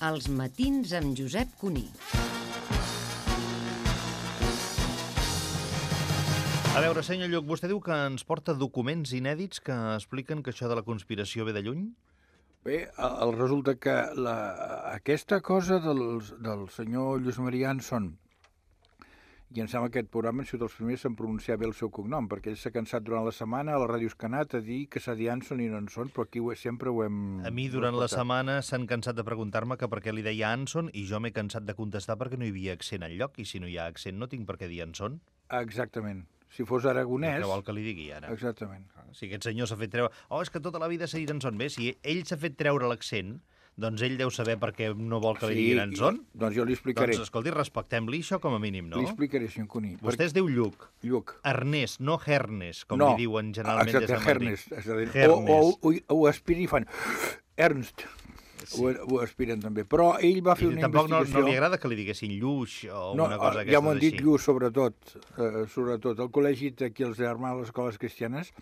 Els matins amb Josep Cuní. A veure, senyor Lluc, vostè diu que ens porta documents inèdits que expliquen que això de la conspiració ve de lluny? Bé, resulta que aquesta cosa del senyor Lluís Maria Anson, i em sembla que aquest programa han sigut els primers en pronunciar bé el seu cognom, perquè ell s'ha cansat durant la setmana a la ràdio Escanat a dir que s'ha dit Anson i no Anson, però aquí sempre ho hem... A mi durant la setmana s'han cansat de preguntar-me que per què li deia Anson i jo m'he cansat de contestar perquè no hi havia accent enlloc i si no hi ha accent no tinc per què dir Anson. Exactament. Si fos aragonès... Què vol que li digui ara? Exactament. Si aquest senyor s'ha fet treure... Oh, és que tota la vida s'ha dit Anson. Bé, si ell s'ha fet treure l'accent, doncs ell deu saber per què no vol que li diguin Anson. Doncs jo li explicaré. Doncs, escolti, respectem-li això com a mínim, no? Li explicaré, senyor Cuní. Vostè es diu Lluc. Lluc. Ernest, no Hernes, com li diuen generalment des de Madrid. Hernes. O aspiren i fan Ernst. Sí. Ho aspiren també. Però ell va fer una investigació... Tampoc no li agrada que li diguessin Lluix o una cosa d'aquestes així. Ja m'ho han dit Lluix, sobretot. Al col·legi d'aquí, els germans de les escoles cristianes,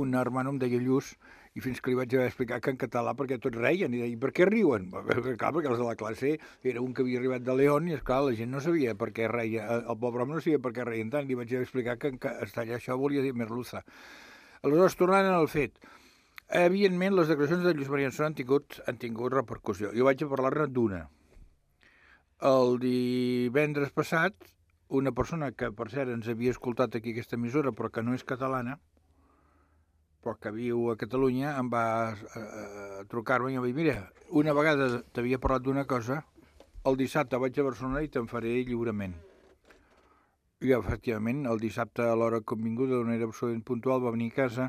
un hermano em deia Lluix, i fins que li vaig explicar que en català, perquè tots reien, i deia, per què riuen? Clar, perquè els de la classe era un que havia arribat de León, i esclar, la gent no sabia per què reia, el pobre home no sabia per què reien tant, li vaig explicar que en castellà això volia dir merluza. Aleshores, tornant al fet, evidentment, les declaracions de Lluís Maria Anson han tingut repercussió. Jo vaig a parlar-ne d'una. El divendres passat, una persona que, per cert, ens havia escoltat aquí aquesta emissora, però que no és catalana, però que viu a Catalunya, em va trucar-me i em va dir, mira, una vegada t'havia parlat d'una cosa, el dissabte vaig a Barcelona i te'n faré lliurement. I, efectivament, el dissabte, a l'hora que hem vingut, d'una manera absolutament puntual, va venir a casa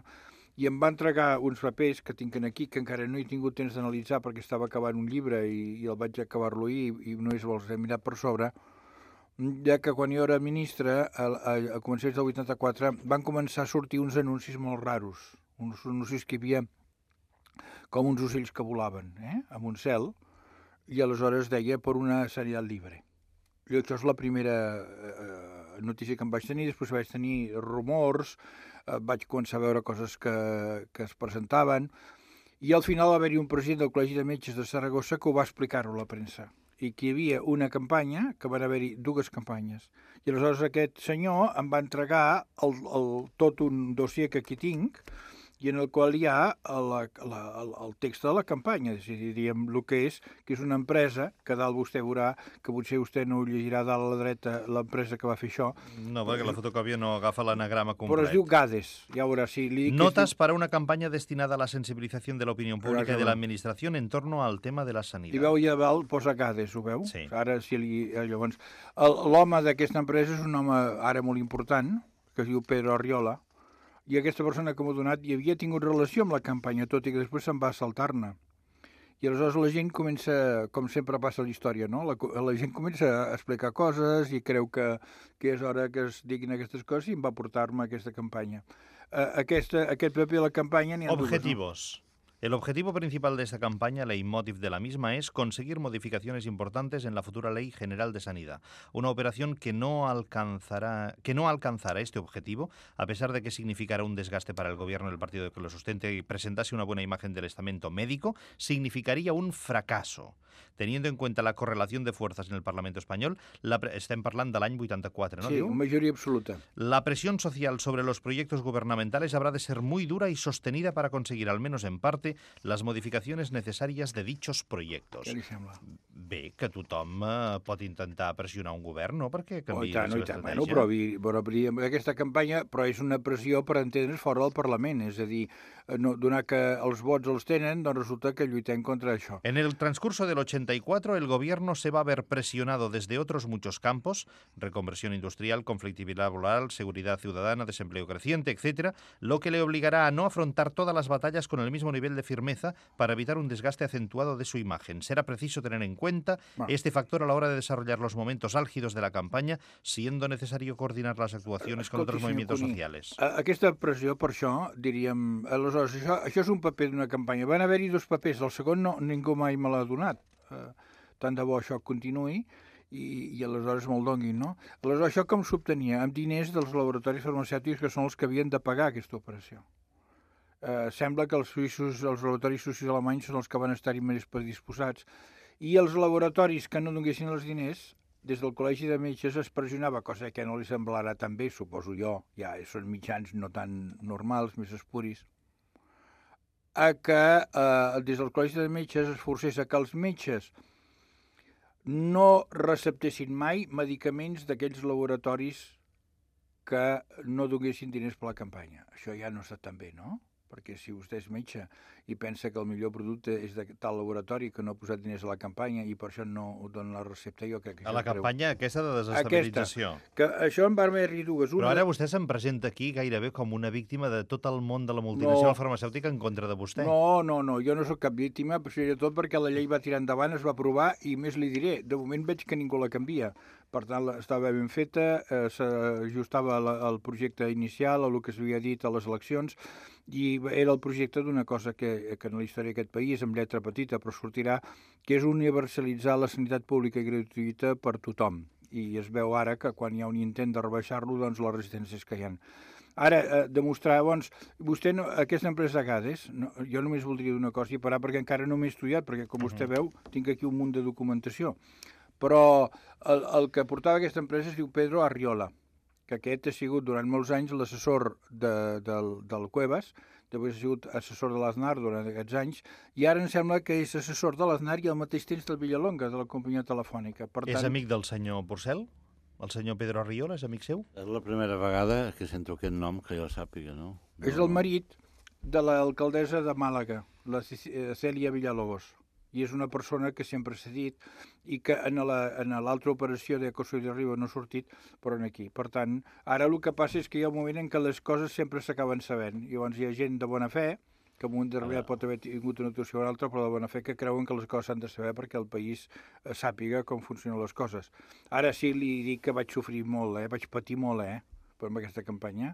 i em va entregar uns papers que tinc aquí, que encara no he tingut temps d'analitzar perquè estava acabant un llibre i el vaig acabar-lo i no els he mirat per sobre, ja que quan jo era ministre, a començaments del 84, van començar a sortir uns anuncis molt raros, uns anuncis que hi havia com uns ocells que volaven, amb un cel, i aleshores deia per una sanitat libre. I això és la primera notícia que em vaig tenir, després vaig tenir rumors, vaig començar a veure coses que es presentaven, i al final va haver-hi un president del Col·legi de Metges de Saragossa que ho va explicar-ho a la premsa, i que hi havia una campanya, que van haver-hi dues campanyes, i aleshores aquest senyor em va entregar tot un dossier que aquí tinc, i en el qual hi ha el text de la campanya, és a dir, diríem el que és una empresa, que dalt vostè veurà, que potser vostè no ho llegirà dalt a la dreta, l'empresa que va fer això. No, perquè la fotocòpia no agafa l'anagrama complet. Però es diu GADES, ja veurà. Si Notas para una campaña destinada a la sensibilización de la opinión pública y de la administración en torno al tema de la sanidad. I veu allà dalt, posa GADES, ho veu? Sí. Ara, llavors, l'home d'aquesta empresa és un home ara molt important, que es diu Pedro Arriola, i aquesta persona que m'ha donat hi havia tingut relació amb la campanya, tot i que després se'n va saltar-ne. I aleshores la gent comença, com sempre passa a la història, no? La gent comença a explicar coses i creu que és hora que es diguin aquestes coses i em va portar-me aquesta campanya. Aquest paper de la campanya n'hi ha dues. Objetivos. El objetivo principal de esta campaña, leitmotiv de la misma, es conseguir modificaciones importantes en la futura Ley General de Sanidad. Una operación que no alcanzará este objetivo, a pesar de que significará un desgaste para el gobierno del partido que lo sustente y presentase una buena imagen del estamento médico, significaría un fracaso. Teniendo en cuenta la correlación de fuerzas en el Parlamento español, estem parlant de l'any 84, ¿no? Sí, mayoría absoluta. La presión social sobre los proyectos gubernamentales habrá de ser muy dura y sostenida para conseguir, al menos en parte, las modificaciones necesarias de dichos proyectos. Què li sembla? Bé, que tothom pot intentar pressionar un govern, no? Perquè canviï la seva estratègia. Bueno, però aquesta campanya és una pressió per entendre's fora del Parlament, és a dir, donar que els vots els tenen, doncs resulta que lluitem contra això. En el transcurso del 84, el gobierno se va a ver presionado desde otros muchos campos, reconversión industrial, conflictividad laboral, seguridad ciudadana, desempleo creciente, etcétera, lo que le obligará a no afrontar todas las batallas con el mismo nivel de firmeza para evitar un desgaste acentuado de su imagen. Será preciso tener en cuenta este factor a la hora de desarrollar los momentos álgidos de la campaña, siendo necesario coordinar las actuaciones con otros movimientos sociales. Aquesta pressió, per això, diríem... Aleshores, això és un paper d'una campanya. Van haver-hi dos papers, el segon ningú mai me l'ha donat. Tant de bo això continuï i aleshores me'l donguin, no? Aleshores, això com s'obtenia? Amb diners dels laboratoris farmacèutics que són els que havien de pagar aquesta operació. Sembla que els laboratoris suïssos alemanys són els que van estar-hi més predisposats I els laboratoris que no donessin els diners, des del Col·legi de Metges es pressionava, cosa que no li semblarà tan bé, suposo jo, ja són mitjans no tan normals, més espuris, a que des del Col·legi de Metges es forcés a que els metges no receptessin mai medicaments d'aquells laboratoris que no donessin diners per la campanya. Això ja no està tan bé, no? Perquè si vostè és metge i pensa que el millor producte és de tal laboratori que no ha posat diners a la campanya i per això no dona la recepta, jo crec que... A la campanya aquesta de desestabilització. Que això em va haver-hi dues. Però ara vostè se'm presenta aquí gairebé com una víctima de tot el món de la multinacional farmacèutica en contra de vostè. No, jo no sóc cap víctima, però sobretot perquè la llei va tirar endavant, es va aprovar i més li diré, de moment veig que ningú la canvia. Per tant, estava ben feta, s'ajustava al projecte inicial, a el que s'havia dit a les eleccions, i era el projecte d'una cosa que en la història d'aquest país, amb lletra petita, però sortirà, que és universalitzar la sanitat pública i gratuïta per tothom. I es veu ara que quan hi ha un intent de rebaixar-lo, doncs les resistències que hi ha. Ara, demostrar, doncs, vostè, aquesta empresa Gades, jo només voldria dir una cosa i parar perquè encara no m'he estudiat, perquè com vostè veu, tinc aquí un munt de documentació. Però el que portava aquesta empresa es diu Pedro Arriola, que aquest ha sigut durant molts anys l'assessor del Cuevas, després ha sigut assessor de l'Aznar durant aquests anys, i ara em sembla que és assessor de l'Aznar i al mateix temps del Villalonga, de la companyia telefònica. Per tant, és amic del senyor Porcel? El senyor Pedro Arriola és amic seu? És la primera vegada que sento aquest nom que jo sàpiga, no? És el marit de l'alcaldessa de Màlaga, la Cèlia Villalobos. I és una persona que sempre s'ha dit i que en l'altra operació de Coso de Riba no ha sortit, però aquí. Per tant, ara el que passa és que hi ha un moment en què les coses sempre s'acaben sabent. I llavors hi ha gent de bona fe, que en un moment determinat pot haver tingut una actuació o una altra, però de bona fe que creuen que les coses s'han de saber perquè el país sàpiga com funcionen les coses. Ara sí li dic que vaig sofrir molt, vaig patir molt, per aquesta campanya.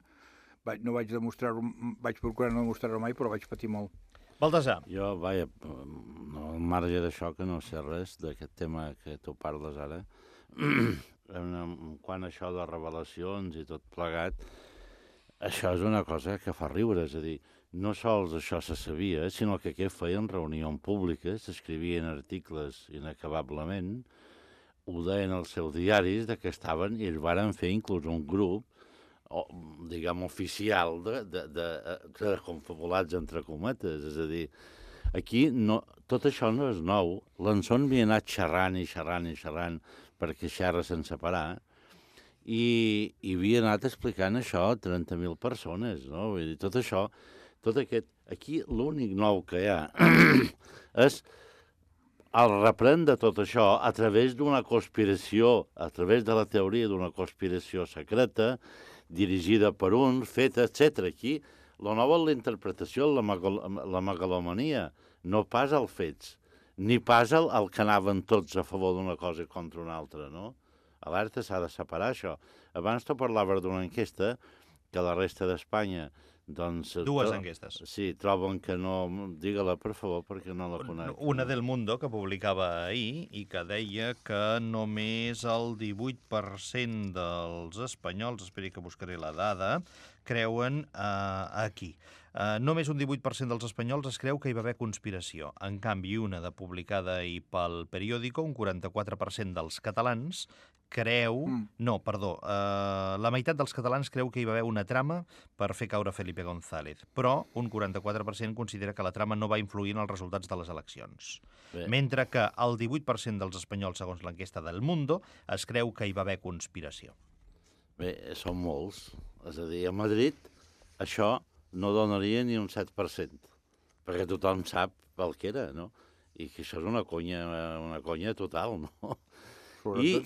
No vaig demostrar-ho, vaig procurar no demostrar-ho mai, però vaig patir molt. Baltasar. Jo, vaja, al marge d'això que no sé res d'aquest tema que tu parles ara, quan això de revelacions i tot plegat, això és una cosa que fa riure, és a dir, no sols això se sabia, sinó que aquí feien reunions públiques, s'escrivien articles inacabablement, ho deien als seus diaris de que estaven, i ells varen fer inclús un grup, diguem, oficial, confabulats entre cometes. És a dir, aquí tot això no és nou. L'Anson havia anat xerrant perquè xerra sense parar i havia anat explicant això a 30.000 persones, no? Vull dir, tot això, aquí l'únic nou que hi ha és el reprendre tot això a través d'una conspiració, a través de la teoria d'una conspiració secreta, dirigida per uns, feta, etc. Aquí, la nova és la interpretació, la megalomania, no pas els fets, ni pas el que anaven tots a favor d'una cosa contra una altra, no? Alerta, s'ha de separar això. Abans tu parlaves d'una enquesta que la resta d'Espanya, doncs... Dues enquestes. Sí, troben que no... Digue-la, per favor, perquè no la conec. Una del Mundo, que publicava ahir, i que deia que només el 18% dels espanyols, esperi que buscaré la dada, creuen aquí. Només un 18% dels espanyols es creu que hi va haver conspiració. En canvi, una de publicada ahir pel periòdico, un 44% dels catalans creu... No, perdó, la meitat dels catalans creu que hi va haver una trama per fer caure Felipe González, però un 44% considera que la trama no va influir en els resultats de les eleccions. Bé. Mentre que el 18% dels espanyols, segons l'enquesta del Mundo, es creu que hi va haver conspiració. Bé, són molts. És a dir, a Madrid això no donaria ni un 7%, perquè tothom sap el que era, no? I que això és una conya total, no?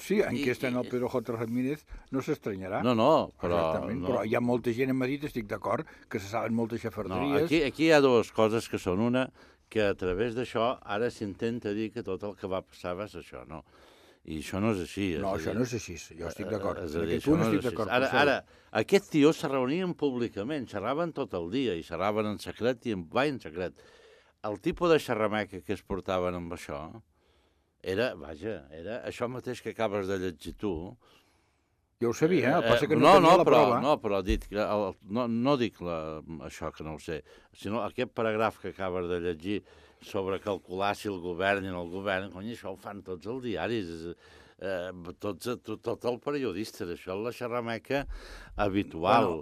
Sí, enquesta en el Pedro J. Ramírez no s'estranyarà. No, però... Però hi ha molta gent a Madrid, estic d'acord, que se saben moltes xafarderies. No, aquí hi ha dues coses que són una, que a través d'això ara s'intenta dir que tot el que va passar va ser això, no? I això no és així. No, això no és així, jo estic d'acord. És a dir, això no és així. Ara, aquests tios se reunien públicament, xerraven tot el dia, i xerraven en secret i en secret. El tipus de xerrameca que es portaven amb això era això mateix que acabes de llegir tu. Jo ho sabia, passa que no tenia la prova. No, però dit que no dic això que no ho sé, sinó aquest paràgraf que acabes de llegir sobre calcular si el govern i no el govern, cony, això ho fan tots els diaris, tot el periodista, això és la xerrameca habitual.